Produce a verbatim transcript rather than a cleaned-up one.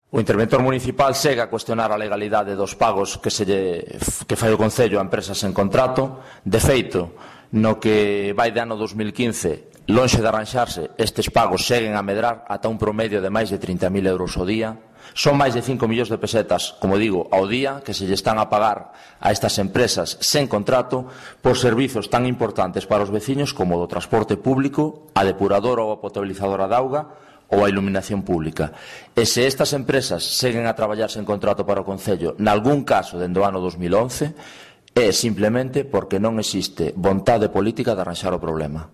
O interventor municipal segue a cuestionar a legalidade dos pagos que, se lle, que fai o Concello a empresas en contrato. De feito, no que vai de ano dos mil quince, lonxe de arranxarse, estes pagos seguen a medrar ata un promedio de máis de trinta mil euros ao día. Son máis de cinco millóns de pesetas, como digo, ao día, que se lle están a pagar a estas empresas sen contrato por servizos tan importantes para os veciños como o do transporte público, a depuradora ou a potabilizadora de auga ou a iluminación pública. E se estas empresas seguen a traballar sen contrato para o Concello, nalgún caso dende o ano dos mil once, é simplemente porque non existe vontade política de arranxar o problema.